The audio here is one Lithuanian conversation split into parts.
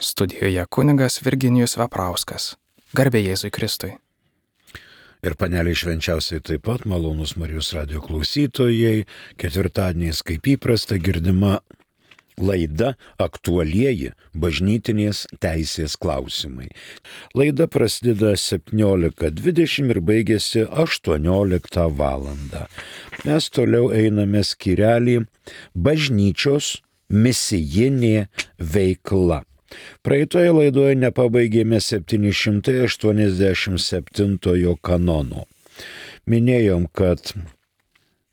Studijoje kunigas Virginijus Veprauskas. Garbė Jėzui Kristui. Ir paneliai švenčiausiai taip pat malonus Marijos radijo klausytojai, ketvirtadieniais kaip įprasta girdima laida Aktualieji bažnytinės teisės klausimai. Laida prasideda 17:20 ir baigėsi 18 valandą. Mes toliau einame skyrelį bažnyčios misijinė veikla. Praeitoje laidoje nepabaigėme 787 kanono. Minėjom, kad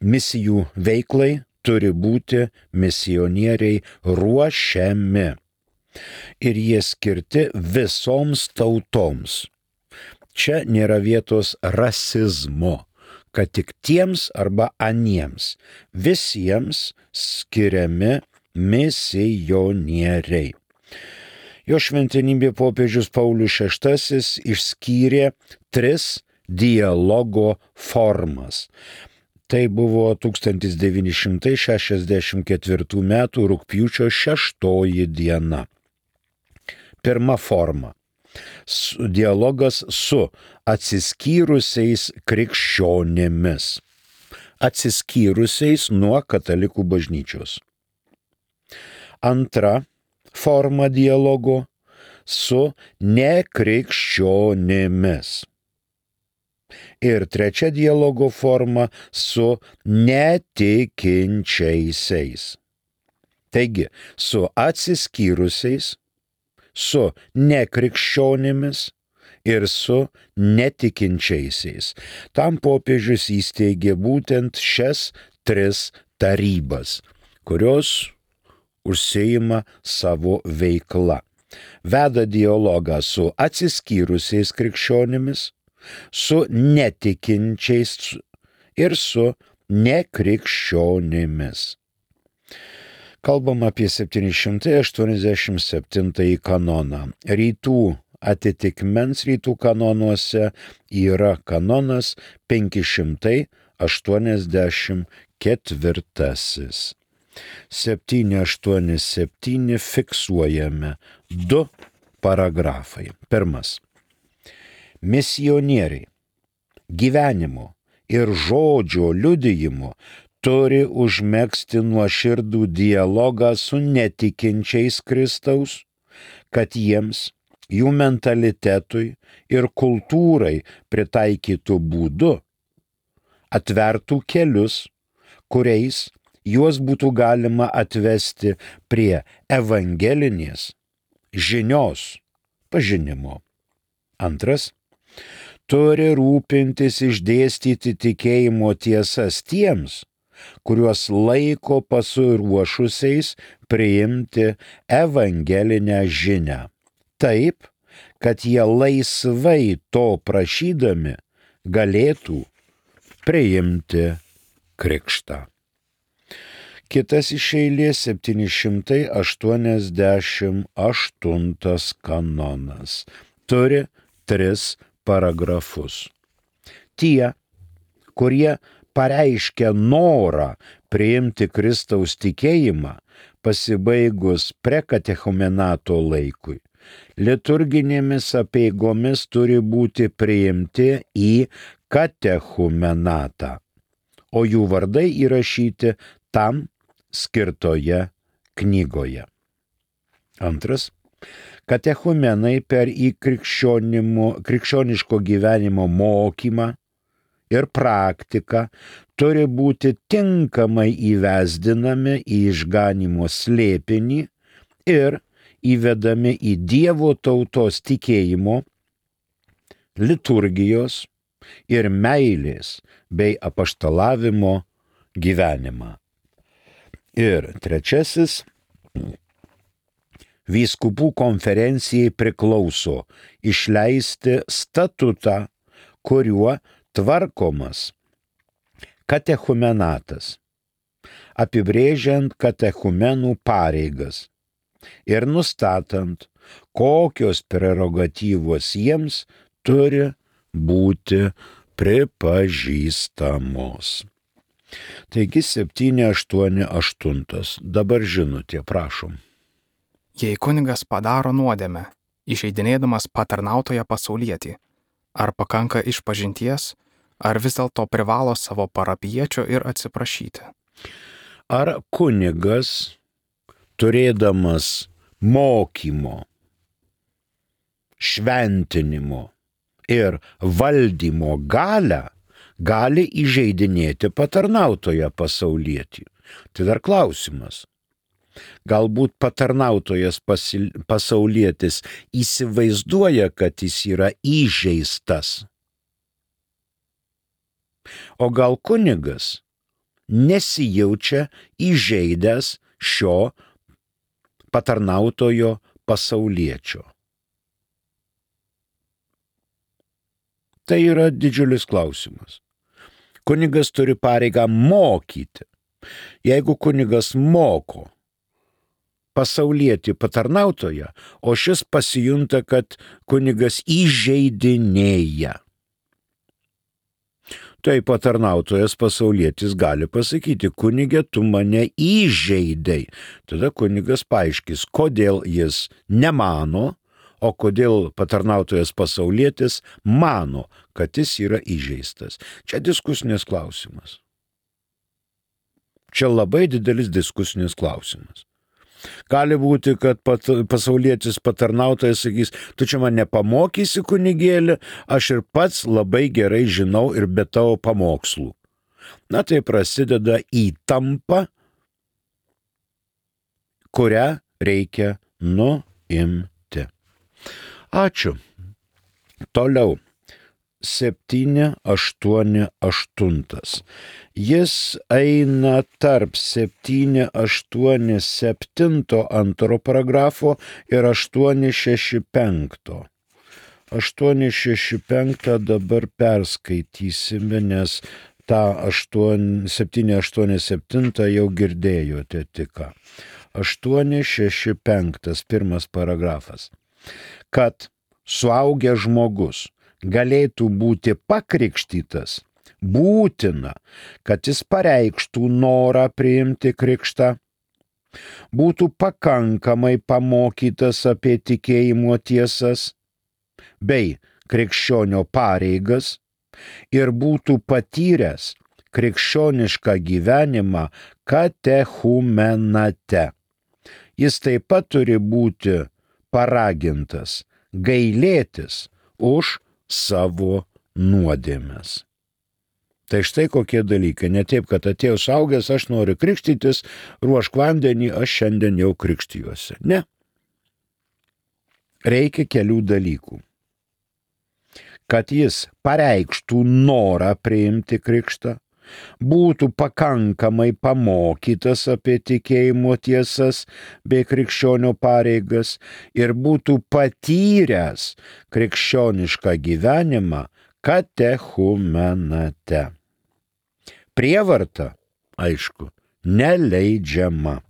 misijų veiklai turi būti misionieriai ruošiami. Ir jie skirti visoms tautoms. Čia nėra vietos rasizmo, kad tik tiems arba aniems. Visiems skiriami misionieriai. Jo šventenybė popiežius Paulius VI išskyrė 3 dialogo formas. Tai buvo 1964 m. rugpjūčio 6 diena. Pirma forma – dialogas su atsiskyrusiais krikščionimis. Atsiskyrusiais nuo katalikų bažnyčios. Antra forma dialogo su nekrikščionimis. Ir trečia dialogo forma su netikinčiaisiais. Taigi, su atsiskyrusiais, su nekrikščionimis ir su netikinčiaisiais. Tam popiežius įsteigė būtent šias 3 tarybas, kurios užsiima savo veikla. Veda dialogą su atsiskyrusiais krikščionimis, su netikinčiais ir su nekrikščionimis. Kalbam apie 787 kanoną. Rytų atitikmens rytų kanonuose yra kanonas 584. 787 fiksuojame 2 paragrafai. Pirmas. Misionieriai gyvenimo ir žodžio liudijimo turi užmegzti nuoširdų dialogą su netikinčiais Kristaus, kad jiems, jų mentalitetui ir kultūrai pritaikytų būdu atvertų kelius, kuriais juos būtų galima atvesti prie evangelinės žinios pažinimo. Antras, turi rūpintis išdėstyti tikėjimo tiesas tiems, kuriuos laiko pasiruošusiais priimti evangelinę žinią. Taip, kad jie laisvai to prašydami galėtų priimti krikštą. Kitas iš eilės 788 kanonas. Turi 3 paragrafus. Tie, kurie pareiškia norą priimti Kristaus tikėjimą pasibaigus prekatechumenato laikui, liturginėmis apeigomis turi būti priimti į katechumenatą, o jų vardai įrašyti tam skirtoje knygoje. Antras. Katechumenai per krikščioniško gyvenimo mokymą ir praktiką turi būti tinkamai įvesdinami į išganymo slėpinį ir įvedami į Dievo tautos tikėjimo, liturgijos ir meilės bei apaštalavimo gyvenimą. Ir trečiasis, vyskupų konferencijai priklauso išleisti statutą, kuriuo tvarkomas katechumenatas, apibrėžiant katechumenų pareigas ir nustatant, kokios prerogatyvos jiems turi būti pripažįstamos. Taigi 788. Dabar žinutė, prašom. Jei kunigas padaro nuodėmę, įžeidinėdamas patarnautoją pasaulietį, ar pakanka išpažinties, ar vis dėlto privalo savo parapijiečio ir atsiprašyti? Ar kunigas, turėdamas mokymo, šventinimo ir valdymo galią, gali įžeidinėti patarnautoją pasaulietį? Tai dar klausimas. Galbūt patarnautojas pasaulietis įsivaizduoja, kad jis yra įžeistas. O gal kunigas nesijaučia įžeidęs šio patarnautojo pasauliečio. Tai yra didžiulis klausimas. Kunigas turi pareigą mokyti. Jeigu kunigas moko pasaulietį patarnautoją, o šis pasijunta, kad kunigas įžeidinėja, tai patarnautojas pasaulietis gali pasakyti: kunige, tu mane įžeidei. Tada kunigas paaiškis, kodėl jis nemano, o kodėl patarnautojas pasaulietis mano, kad jis yra įžeistas. Čia diskusinis klausimas. Čia labai didelis diskusinis klausimas. Gali būti, kad pasaulietis patarnautojas sakys: tu čia mane pamokysi, kunigėlį, aš ir pats labai gerai žinau ir be tavo pamokslų. Na tai prasideda įtampa, kurią reikia nuimti. Ačiū. Toliau. 788. Jis eina tarp 787 antro paragrafo ir 865. 865 dabar perskaitysime, nes tą 787 jau girdėjote tik ką. 865 pirmas paragrafas. Kad suaugęs žmogus galėtų būti pakrikštytas, būtina, kad jis pareikštų norą priimti krikštą, būtų pakankamai pamokytas apie tikėjimo tiesas bei krikščionio pareigas ir būtų patyręs krikščionišką gyvenimą katechumenate. Jis taip pat turi būti paragintas gailėtis už savo nuodėmes. Tai štai kokie dalykai. Ne taip, kad atėjau suaugęs, aš noriu krikštytis, ruošk vandenį, aš šiandien jau krikštijuosi. Ne. Reikia kelių dalykų. Kad jis pareikštų norą priimti krikštą, būtų pakankamai pamokytas apie tikėjimo tiesas bei krikščionio pareigas ir būtų patyręs krikščionišką gyvenimą katechumenate. Prievarta, aišku, neleidžiama.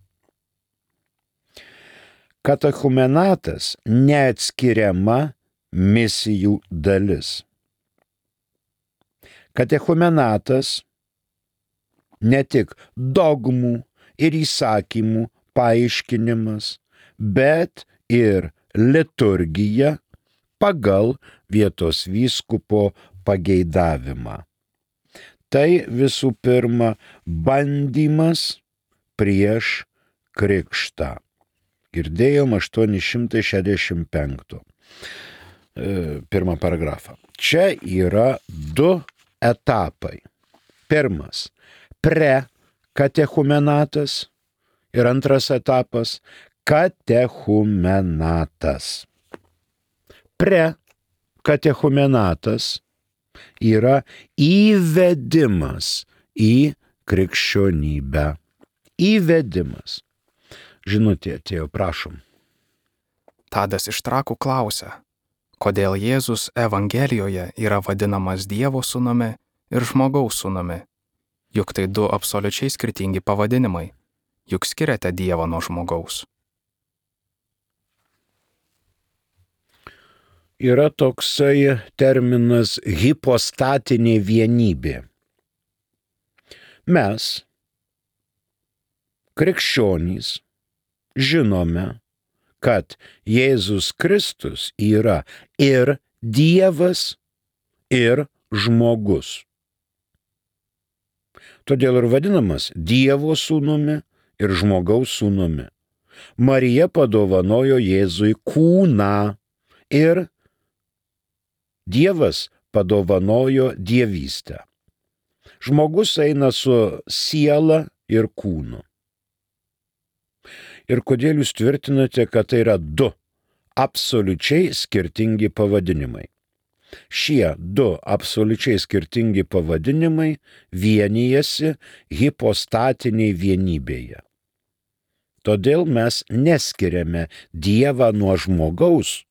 Katechumenatas neatskiriama misijų dalis. Katechumenatas ne tik dogmų ir įsakymų paaiškinimas, bet ir liturgija pagal vietos vyskupo pageidavimą. Tai visų pirma bandymas prieš krikštą. Girdėjom 865. Pirmą paragrafą. Čia yra du etapai. Pirmas – prekatechumenatas ir antras etapas – katechumenatas. Prekatechumenatas yra įvedimas į krikščionybę. Įvedimas. Žinutė atėjo, prašom. Tadas iš Trakų klausia, kodėl Jėzus Evangelijoje yra vadinamas Dievo sūnumi ir žmogaus sūnumi. Juk tai du absoliučiai skirtingi pavadinimai. Juk skiriate Dievą nuo žmogaus. Yra toksai terminas hipostatinė vienybė. Mes, krikščionys, žinome, kad Jėzus Kristus yra ir Dievas, ir žmogus. Todėl ir vadinamas Dievo sūnumi ir žmogaus sūnumi. Marija padovanojo Jėzui kūną ir Dievas padovanojo dievystę. Žmogus eina su siela ir kūnu. Ir kodėl jūs tvirtinate, kad tai yra du absoliučiai skirtingi pavadinimai? Šie du absoliučiai skirtingi pavadinimai vienijasi hipostatiniai vienybėje. Todėl mes neskiriame Dievą nuo žmogaus,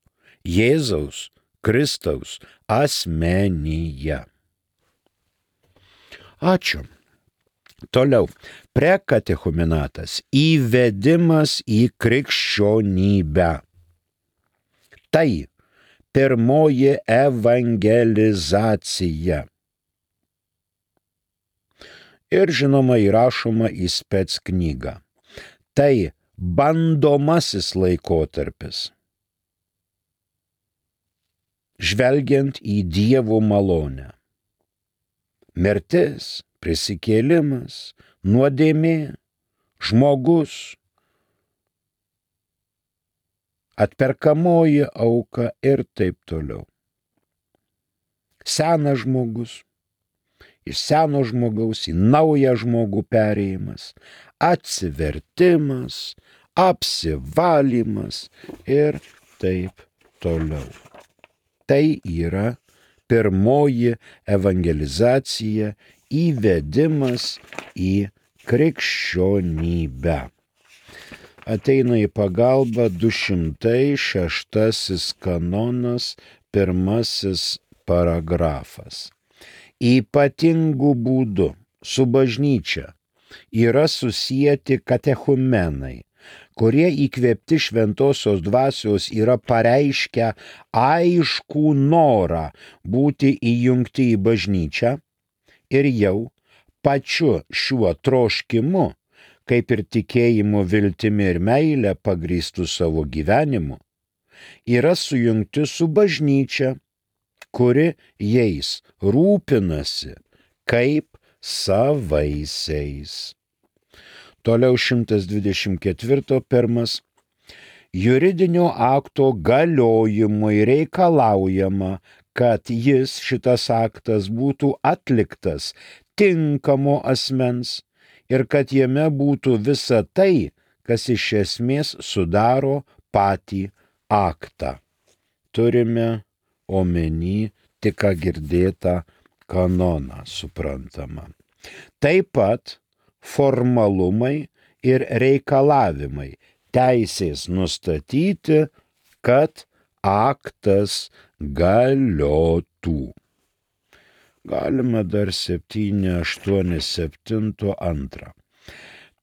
Jėzaus Kristaus asmenyje. Ačiū. Toliau. Prekatechumenatas – įvedimas į krikščionybę. Tai pirmoji evangelizacija. Ir žinoma įrašoma į spec knygą. Tai bandomasis laikotarpis. Žvelgiant į Dievo malonę. Mirtis, prisikėlimas, nuodėmė, žmogus, atperkamoji auka ir taip toliau. Senas žmogus, iš seno žmogaus į naują žmogų perėjimas, atsivertimas, apsivalymas ir taip toliau. Tai yra pirmoji evangelizacija, įvedimas į krikščionybę. Ateina į pagalbą 206 kanonas, 1 paragrafas. Ypatingų būdų su bažnyčia yra susieti katechumenai, kurie įkvėpti šventosios dvasios yra pareiškę aiškų norą būti įjungti į bažnyčią ir jau pačiu šiuo troškimu, kaip ir tikėjimu, viltimi ir meilė pagrįstų savo gyvenimu, yra sujungti su bažnyčia, kuri jais rūpinasi kaip savaisiais. Toliau 124.1. Juridinio akto galiojimui reikalaujama, kad šitas aktas būtų atliktas tinkamo asmens ir kad jame būtų visa tai, kas iš esmės sudaro patį aktą. Turime omeny tik ką girdėtą kanoną, suprantama. Taip pat formalumai ir reikalavimai teisės nustatyti, kad aktas galiotų. Galima dar 7.8.7.2.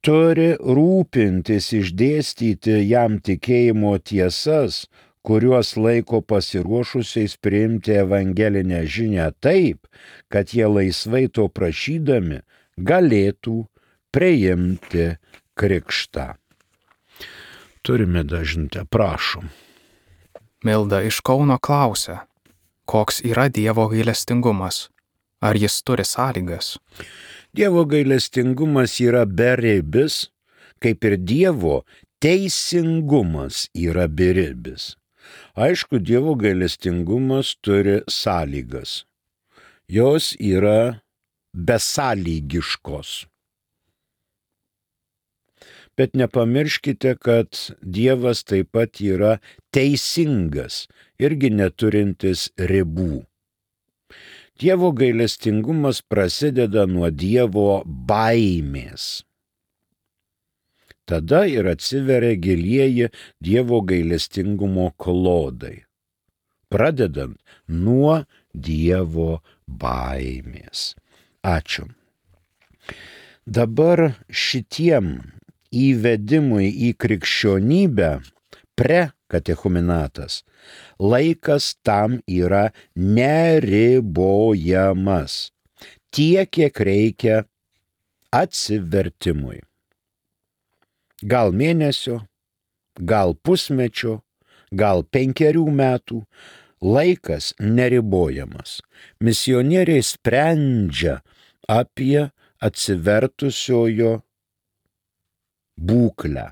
Turi rūpintis išdėstyti jam tikėjimo tiesas, kuriuos laiko pasiruošusiais priimti evangelinę žinią taip, kad jie laisvai to prašydami galėtų priimti krikštą. Turime dažnutę, prašom. Milda iš Kauno klausia, koks yra Dievo gailestingumas? Ar jis turi sąlygas? Dievo gailestingumas yra beribis, kaip ir Dievo teisingumas yra beribis. Aišku, Dievo gailestingumas turi sąlygas. Jos yra besąlygiškos. Bet nepamirškite, kad Dievas taip pat yra teisingas, irgi neturintis ribų. Dievo gailestingumas prasideda nuo Dievo baimės. Tada ir atsiveria gilieji Dievo gailestingumo klodai, pradedant nuo Dievo baimės. Ačiū. Dabar šitiem įvedimui į krikščionybę prekatechumenatas laikas tam yra neribojamas, tiek, kiek reikia atsivertimui. Gal mėnesio, gal pusmečio, gal 5 metų. Laikas neribojamas. Misionieriai sprendžia apie atsivertusiojo būklę.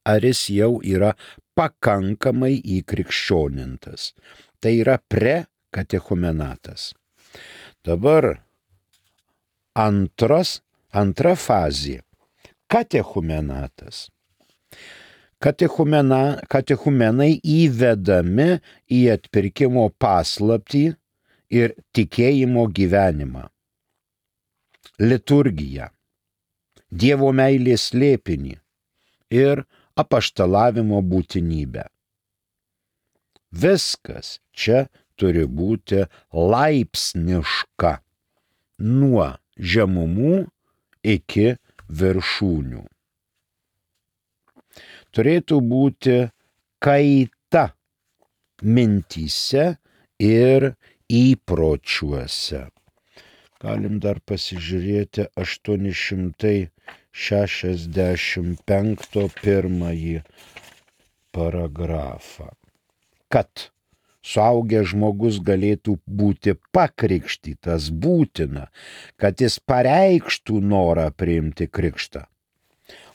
Ar jis jau yra pakankamai įkrikščionintas. Tai yra prekatechumenatas. Dabar antra fazė. Katechumenatas. Katechumenai įvedami į atpirkimo paslaptį ir tikėjimo gyvenimą. Liturgiją, Dievo meilės slėpinį ir apaštalavimo būtinybę. Viskas čia turi būti laipsniška, nuo žemumų iki viršūnių. Turėtų būti kaita mintyse ir įpročiuose. Galim dar pasižiūrėti 865 pirmąjį paragrafą. Kad suaugęs žmogus galėtų būti pakrikštytas, būtina, kad jis pareikštų norą priimti krikštą.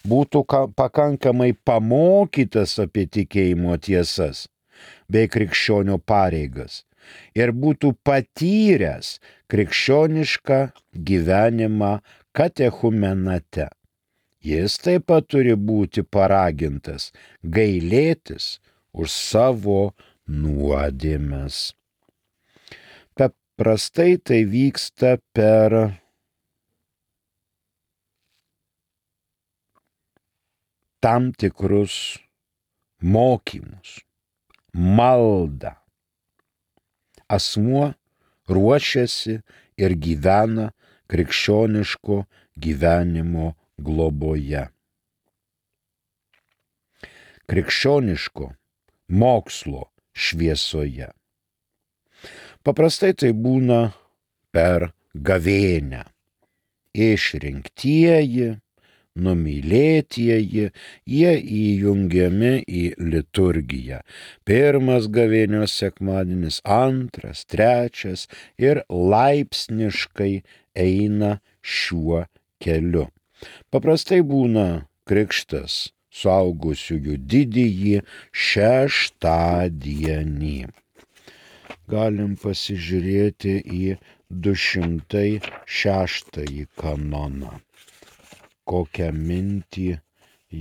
Būtų pakankamai pamokytas apie tikėjimo tiesas bei krikščionio pareigas ir būtų patyręs krikščionišką gyvenimą katechumenate. Jis taip pat turi būti paragintas gailėtis už savo nuodėmes. Paprastai tai vyksta per tam tikrus mokymus, maldą. Asmuo ruošiasi ir gyvena krikščioniško gyvenimo globoje. Krikščioniško mokslo šviesoje. Paprastai tai būna per gavėnią. Išrinktieji, numylėtieji, jie įjungiami į liturgiją. Pirmas gavėnios sekmadienis, antras, trečias ir laipsniškai eina šiuo keliu. Paprastai būna krikštas suaugusiųjų didįjį šeštadienį. Galim pasižiūrėti į 206 kanoną. Kokią mintį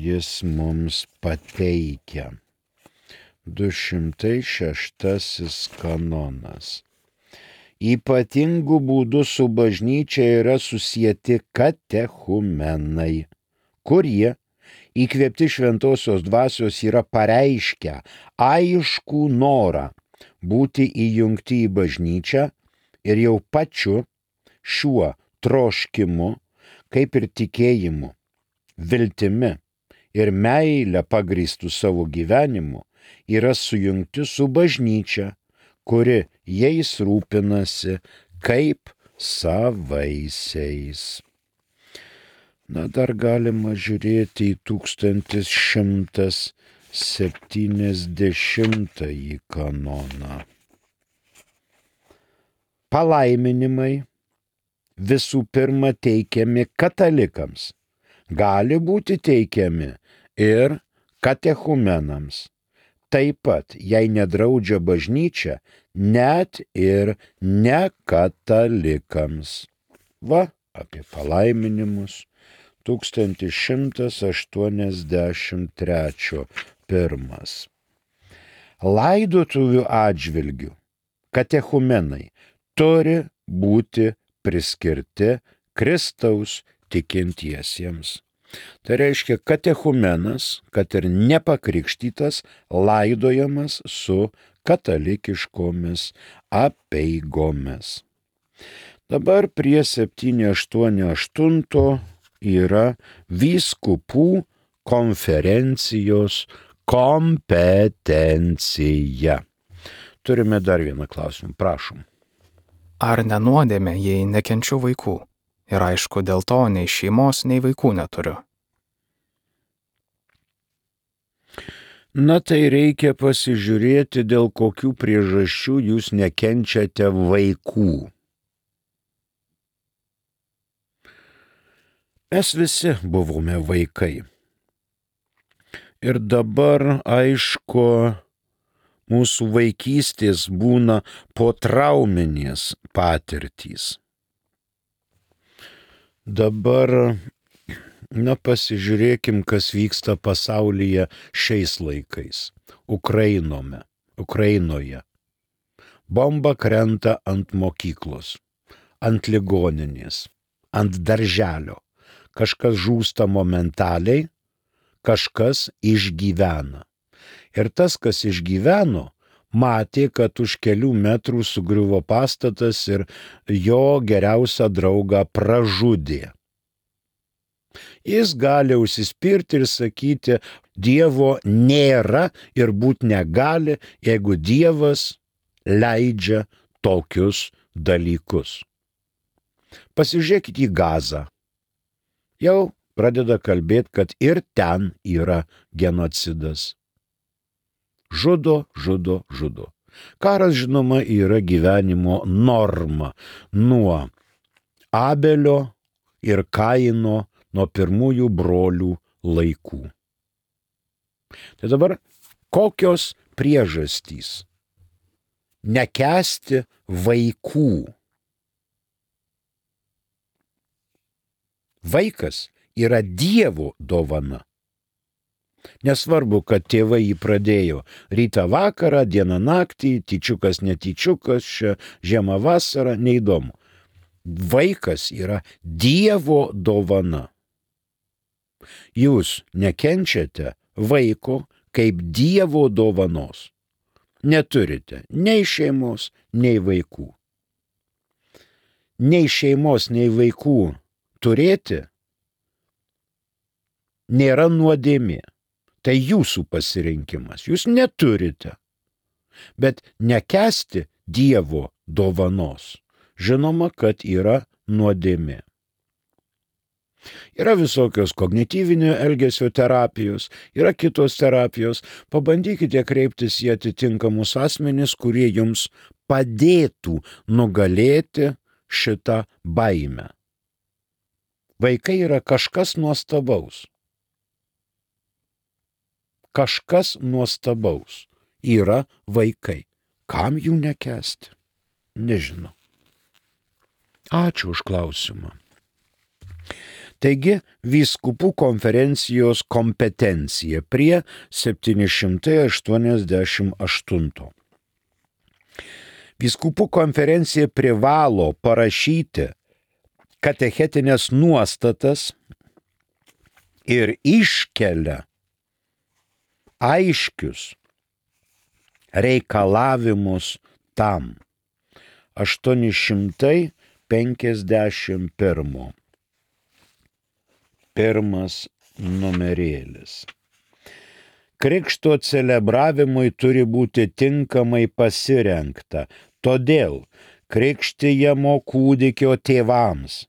jis mums pateikia. 206 kanonas. Ypatingų būdų su bažnyčia yra susieti katechumenai, kurie, įkvėpti šventosios dvasios, yra pareiškę aiškų norą būti įjungti į bažnyčią ir jau pačiu šiuo troškimu, kaip ir tikėjimu, viltimi ir meilę pagrįstų savo gyvenimu, yra sujungti su bažnyčia, kuri jais rūpinasi kaip savaisiais. Dar galima žiūrėti į 1170 kanoną. Palaiminimai visų pirma teikiami katalikams, gali būti teikiami ir katechumenams. Taip pat, jei nedraudžia bažnyčia, net ir nekatalikams. Va, apie palaiminimus 1183 pirmas. Laidotuvių atžvilgių katechumenai turi būti priskirti Kristaus tikintiesiems. Tai reiškia, katechumenas, kad ir nepakrikštytas, laidojamas su katalikiškomis apeigomis. Dabar prie 788 yra vyskupų konferencijos kompetencija. Turime dar vieną klausimą, prašom. Ar nenuodėmė, jei nekenčiu vaikų? Ir aišku, dėl to nei šeimos, nei vaikų neturiu. Na tai reikia pasižiūrėti, dėl kokių priežasčių jūs nekenčiate vaikų. Mes visi buvome vaikai. Ir dabar, aišku, mūsų vaikystės būna potrauminės patirtys. Dabar, pasižiūrėkim, kas vyksta pasaulyje šiais laikais. Ukrainoje. Bomba krenta ant mokyklos, ant ligoninės, ant darželio. Kažkas žūsta momentaliai, kažkas išgyvena. Ir tas, kas išgyveno, matė, kad už kelių metrų sugriuvo pastatas ir jo geriausią draugą pražudė. Jis gali užsispirti ir sakyti, Dievo nėra ir būt negali, jeigu Dievas leidžia tokius dalykus. Pasižiūrėkit į Gazą. Jau pradeda kalbėti, kad ir ten yra genocidas. Žudo. Karas, žinoma, yra gyvenimo norma nuo Abelio ir Kaino, nuo pirmųjų brolių laikų. Tai dabar kokios priežastys nekęsti vaikų? Vaikas yra Dievo dovana. Nesvarbu, kad tėvai jį pradėjo rytą vakarą, dieną naktį, tyčiukas, netyčiukas, žiemą vasarą, neįdomu. Vaikas yra Dievo dovana. Jūs nekenčiate vaiko kaip Dievo dovanos. Neturite nei šeimos, nei vaikų. Nei šeimos, nei vaikų turėti nėra nuodėmė. Tai jūsų pasirinkimas. Jūs neturite. Bet nekęsti Dievo dovanos. Žinoma, kad yra nuodėmė. Yra visokios kognityvinio elgesio terapijos, yra kitos terapijos. Pabandykite kreiptis į atitinkamus asmenis, kurie jums padėtų nugalėti šitą baimę. Vaikai yra kažkas nuostabaus. Kažkas nuostabaus yra vaikai. Kam jų nekęsti? Nežinau. Ačiū už klausimą. Taigi, vyskupų konferencijos kompetencija prie 788. Vyskupų konferencija privalo parašyti katechetinės nuostatas ir iškelia aiškius reikalavimus tam. 851. Pirmas numerėlis. Krikšto celebravimui turi būti tinkamai pasirengta, todėl krikštijamo kūdikio tėvams,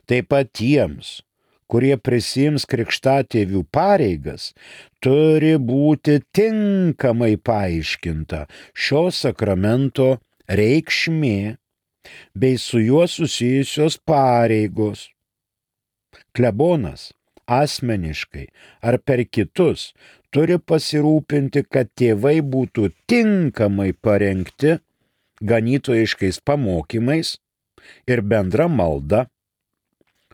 taip pat tiems, kurie prisiims krikštatėvių pareigas, turi būti tinkamai paaiškinta šio sakramento reikšmė bei su juo susijusios pareigos. Klebonas asmeniškai ar per kitus turi pasirūpinti, kad tėvai būtų tinkamai parengti ganytojiškais pamokymais ir bendra malda,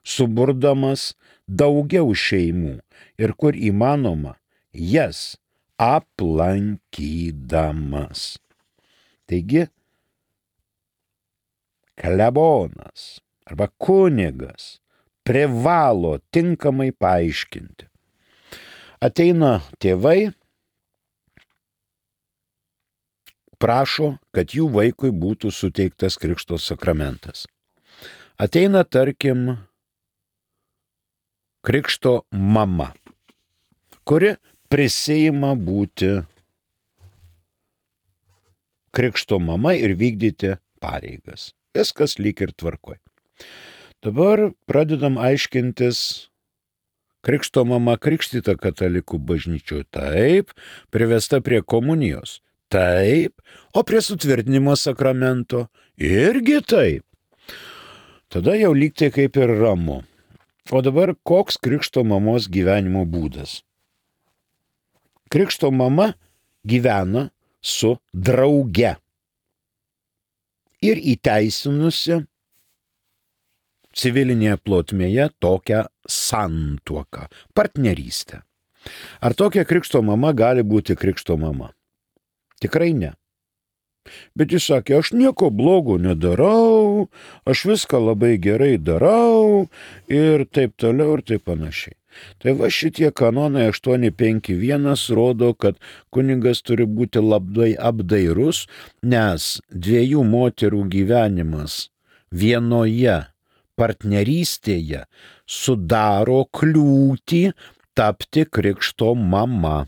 suburdamas daugiau šeimų ir kur įmanoma jas aplankydamas. Taigi, klebonas arba kunigas privalo tinkamai paaiškinti. Ateina tėvai, prašo, kad jų vaikui būtų suteiktas krikšto sakramentas. Ateina, tarkim, krikšto mama, kuri prisiima būti krikšto mama ir vykdyti pareigas. Viskas lyg ir tvarkoj. Dabar pradedam aiškintis, Krikšto mama krikštyta katalikų bažnyčioje, taip, privesta prie komunijos, taip, o prie sutvirtinimo sakramento irgi taip. Tada jau lyg tai kaip ir ramu. O dabar koks krikšto mamos gyvenimo būdas? Krikšto mama gyvena su drauge ir įteisinusi civilinėje plotmėje tokią santuoką, partnerystę. Ar tokia krikšto mama gali būti krikšto mama? Tikrai ne. Bet jis sakė, aš nieko blogo nedarau, aš viską labai gerai darau ir taip toliau ir taip panašiai. Tai va šitie kanonai 851 rodo, kad kunigas turi būti labai apdairus, nes dviejų moterų gyvenimas vienoje partnerystėje sudaro kliūtį tapti krikšto mama.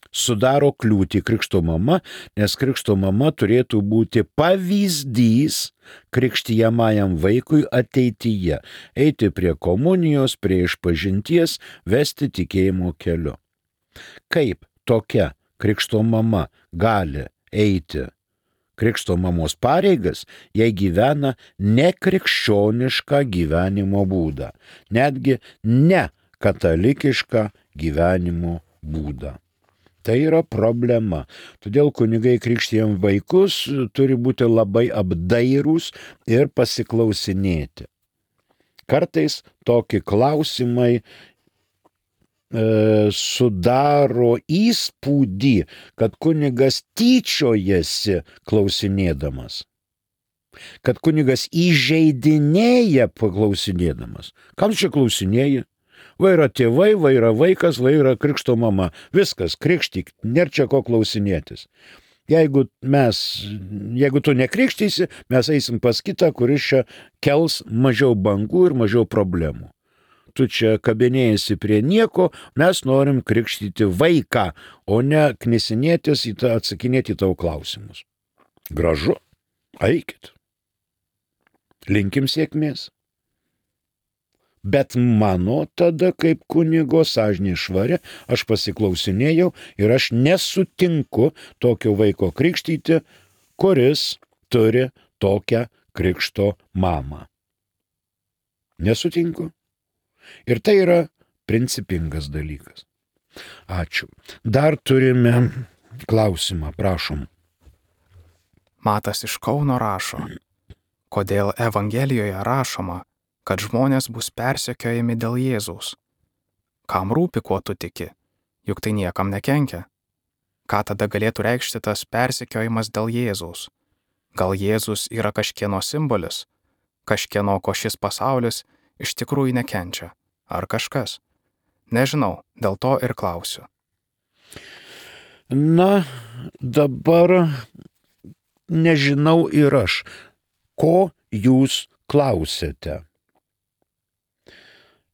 Sudaro kliūtį krikšto mama, nes krikšto mama turėtų būti pavyzdys krikštijamajam vaikui ateityje, eiti prie komunijos, prie išpažinties, vesti tikėjimo keliu. Kaip tokia krikšto mama gali eiti krikšto mamos pareigas, jei gyvena nekrikščionišką gyvenimo būdą, netgi ne katalikišką gyvenimo būdą. Tai yra problema. Todėl kunigai krikštijam vaikus turi būti labai apdairūs ir pasiklausinėti. Kartais tokie klausimai sudaro įspūdį, kad kunigas tyčiojasi klausinėdamas. Kad kunigas įžeidinėja paklausinėdamas. Kam čia klausinėji? Va yra tėvai, va yra vaikas, va yra krikšto mama. Viskas, krikštyk, nėra čia ko klausinėtis. Jeigu tu nekrikštysi, mes eisim pas kitą, kuris čia kels mažiau bangų ir mažiau problemų. Tu čia kabinėjasi prie nieko, mes norim krikštyti vaiką, o ne knisinėtis atsakinėti tavo klausimus. Gražu, eikit. Linkim sėkmės. Bet mano tada kaip kunigo sąžinė švari, aš pasiklausinėjau ir aš nesutinku tokio vaiko krikštyti, kuris turi tokią krikšto mamą. Nesutinku. Ir tai yra principingas dalykas. Ačiū. Dar turime klausimą, prašom. Matas iš Kauno rašo, kodėl Evangelijoje rašoma, kad žmonės bus persekiojami dėl Jėzaus. Kam rūpi, kuo tu tiki? Juk tai niekam nekenkia. Ką tada galėtų reikšti tas persekiojimas dėl Jėzaus? Gal Jėzus yra kažkieno simbolis? Kažkieno, ko šis pasaulis iš tikrųjų nekenčia? Ar kažkas? Nežinau, dėl to ir klausiu. Na, dabar nežinau ir aš, ko jūs klausėte.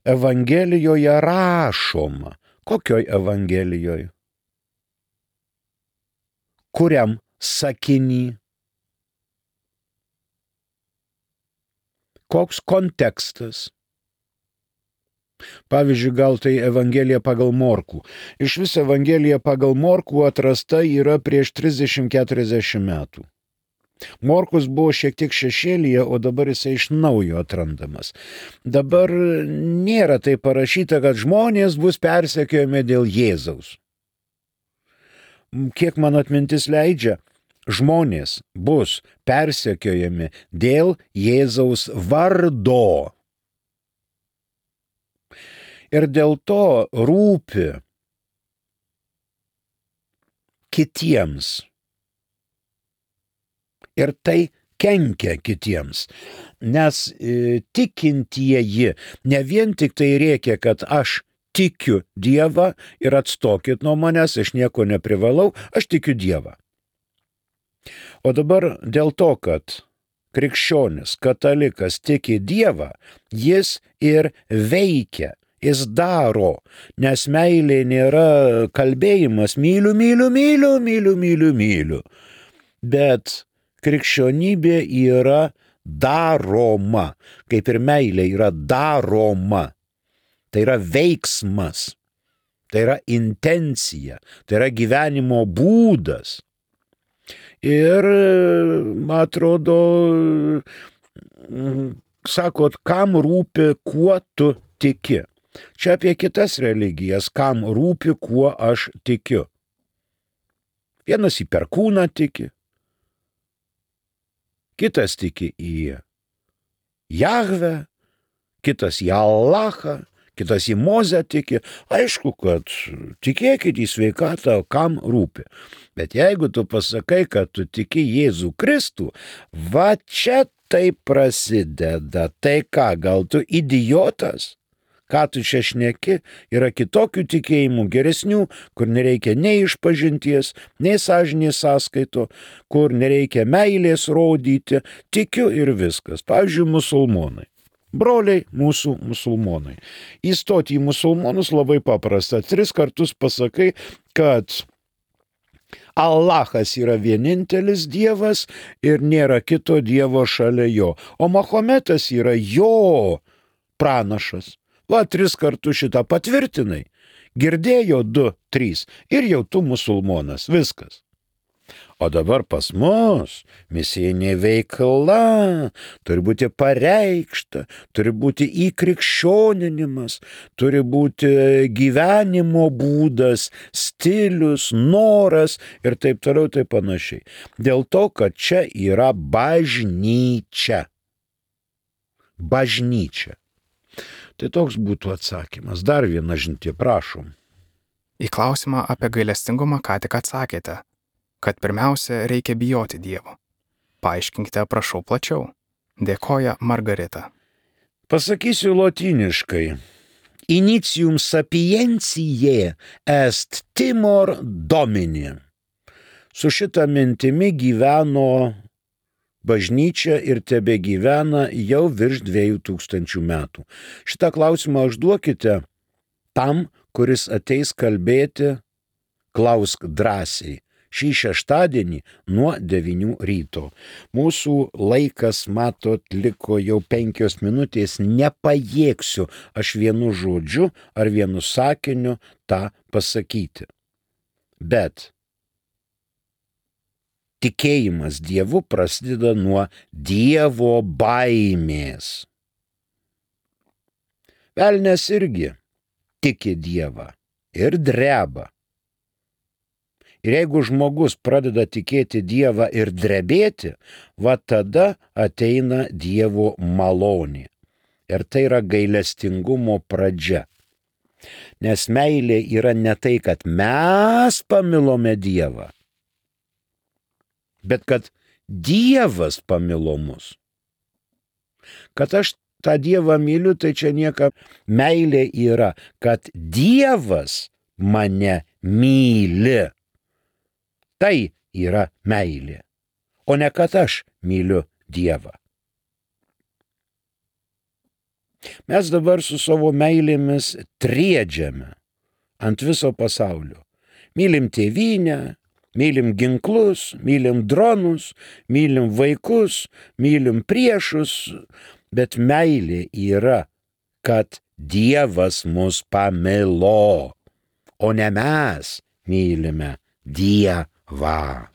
Evangelijoje rašoma. Kokioj Evangelijoje? Kuriam sakiny? Koks kontekstas? Pavyzdžiui, gal tai Evangelija pagal Morkų. Iš vis Evangelija pagal Morkų atrasta yra prieš 30-40 metų. Morkus buvo šiek tiek šešėlyje, o dabar jisai iš naujo atrandamas. Dabar nėra tai parašyta, kad žmonės bus persekiojami dėl Jėzaus. Kiek mano atmintis leidžia, žmonės bus persekiojami dėl Jėzaus vardo. Ir dėl to rūpi kitiems. Ir tai kenkia kitiems, nes tikintieji ne vien tik tai rėkia, kad aš tikiu Dievą ir atstokit nuo manęs, aš nieko neprivalau, aš tikiu Dievą. O dabar dėl to, kad krikščionis, katalikas tiki Dievą, jis ir veikia, jis daro, nes meilė nėra kalbėjimas myliu, myliu, myliu, myliu, myliu, myliu, bet krikščionybė yra daroma, kaip ir meilė yra daroma. Tai yra veiksmas, tai yra intencija, tai yra gyvenimo būdas. Ir, man atrodo, sakot, kam rūpi, kuo tu tiki. Čia apie kitas religijas, kam rūpi, kuo aš tikiu. Vienas į perkūną tiki, kitas tiki į Jahvę, kitas į Allahą, kitas į Mozę tiki. Aišku, kad tikėkit į sveikatą, kam rūpi. Bet jeigu tu pasakai, kad tu tiki Jėzų Kristų, va čia tai prasideda. Tai ką, gal tu idiotas? Ką tu čia šneki? Yra kitokių tikėjimų, geresnių, kur nereikia nei išpažinties, nei sąžinės sąskaito, kur nereikia meilės rodyti. Tikiu ir viskas. Pavyzdžiui, musulmonai. Broliai mūsų musulmonai. Įstoti į musulmonus labai paprasta. 3 kartus pasakai, kad Allahas yra vienintelis Dievas ir nėra kito Dievo šalia jo. O Mahometas yra jo pranašas. Va, 3 kartus šitą patvirtinai. Girdėjo 2, 3 ir jau tu musulmonas. Viskas. O dabar pas mus misijinė veikla turi būti pareikšta, turi būti įkrikščioninimas, turi būti gyvenimo būdas, stilius, noras ir taip toliau, taip panašiai. Dėl to, kad čia yra bažnyčia. Bažnyčia. Tai toks būtų atsakymas. Dar viena žinutė, prašom. Į klausimą apie gailestingumą ką tik atsakėte, kad pirmiausia reikia bijoti Dievo. Paaiškinkite, prašau, plačiau. Dėkoja Margarita. Pasakysiu lotyniškai. Initium sapientiae est timor domini. Su šitą mintimi gyveno bažnyčia ir tebe gyvena jau virš 2000 metų. Šitą klausimą užduokite tam, kuris ateis kalbėti, klausk drąsiai. Šį šeštadienį nuo 9 ryto. Mūsų laikas, matot, liko jau 5 minutės, nepajėgsiu aš vienu žodžiu ar vienu sakiniu tą pasakyti. Bet tikėjimas Dievu prasideda nuo Dievo baimės. Velnias irgi tiki Dievą ir dreba. Ir jeigu žmogus pradeda tikėti Dievą ir drebėti, va tada ateina Dievo malonė. Ir tai yra gailestingumo pradžia. Nes meilė yra ne tai, kad mes pamilome Dievą, bet kad Dievas pamilo mus. Kad aš tą Dievą myliu, tai čia nieka. Meilė yra, kad Dievas mane myli. Tai yra meilė, o ne kad aš myliu Dievą. Mes dabar su savo meilėmis triedžiame ant viso pasaulio. Mylim tėvynę, mylim ginklus, mylim dronus, mylim vaikus, mylim priešus, bet meilė yra, kad Dievas mus pamilo, o ne mes mylime Dievą. Va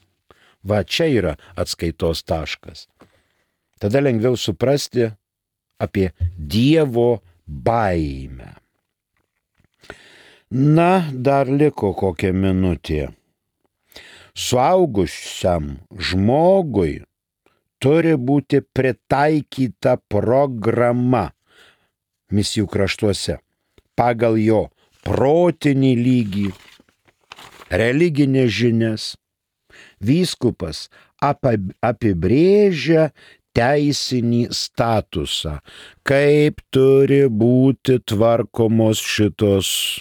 čia yra atskaitos taškas. Tada lengviau suprasti apie Dievo baimę. Na, dar liko kokia minutė. Suaugusiam žmogui turi būti pritaikyta programa misijų kraštuose pagal jo protinį lygį, religinės žinias. Vyskupas apibrėžia teisinį statusą, kaip turi būti tvarkomos šitos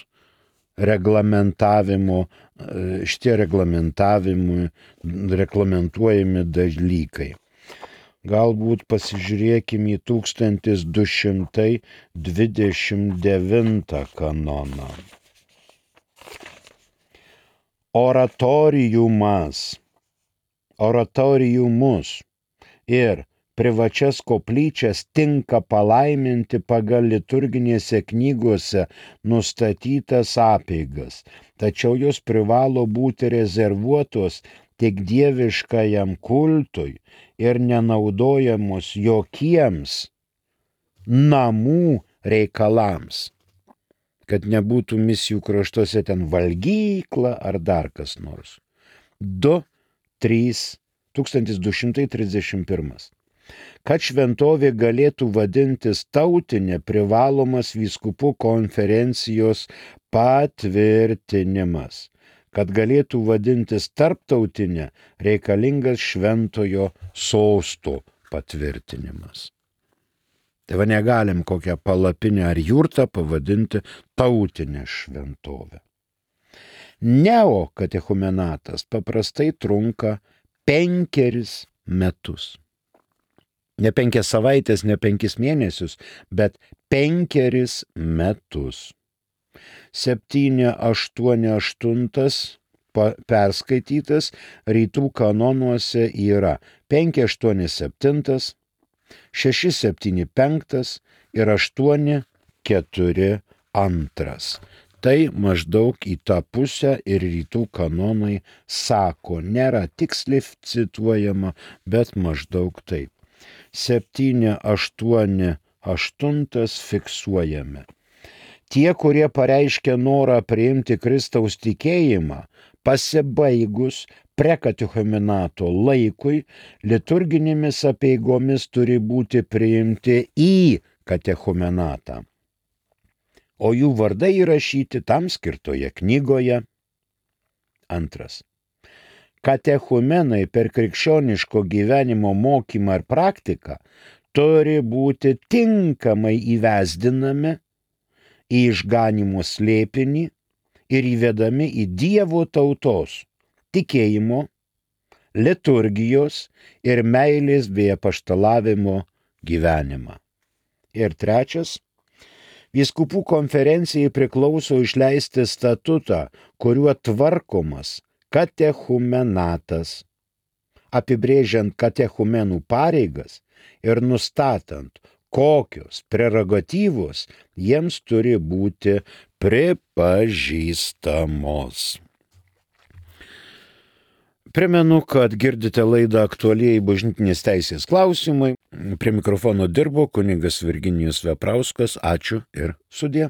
šitie reglamentuojami dalykai. Galbūt pasižiūrėkime į 1229 kanoną. Oratoriumus ir privačias koplyčias tinka palaiminti pagal liturginėse knygose nustatytas apeigas, tačiau jos privalo būti rezervuotos tik dieviškajam kultui ir nenaudojamos jokiems namų reikalams, kad nebūtų misijų kraštuose ten valgykla ar dar kas nors. 1231. Kad šventovė galėtų vadintis tautinė, privalomas vyskupų konferencijos patvirtinimas. Kad galėtų vadintis tarptautinė, reikalingas šventojo sosto patvirtinimas. Tai va negalim kokią palapinę ar jurtą pavadinti tautinę šventovę. Neokatechumenatas paprastai trunka 5 metus. Ne 5 savaitės, ne 5 mėnesius, bet 5 metus. 788 perskaitytas rytų kanonuose yra 587, 675 ir 842. Tai maždaug į tą pusę ir rytų kanonai sako, nėra tiksliai cituojama, bet maždaug taip. 788 fiksuojame. Tie, kurie pareiškia norą priimti Kristaus tikėjimą, pasibaigus prekatechumenato laikui, liturginėmis apeigomis turi būti priimti į katechumenatą, o jų vardai įrašyti tam skirtoje knygoje. 2. Katechumenai per krikščioniško gyvenimo mokymą ir praktiką turi būti tinkamai įvesdinami į išganymo slėpinį ir įvedami į Dievo tautos tikėjimo, liturgijos ir meilės bei apaštalavimo gyvenimą. Ir 3. Vyskupų konferencijai priklauso išleisti statutą, kuriuo tvarkomas katechumenatas, apibrėžiant katechumenų pareigas ir nustatant, kokios prerogatyvos jiems turi būti pripažįstamos. Primenu, kad girdite laidą Aktualieji bažnytinės teisės klausimai. Prie mikrofono dirbo kunigas Virginijus Veprauskas. Ačiū ir sudie.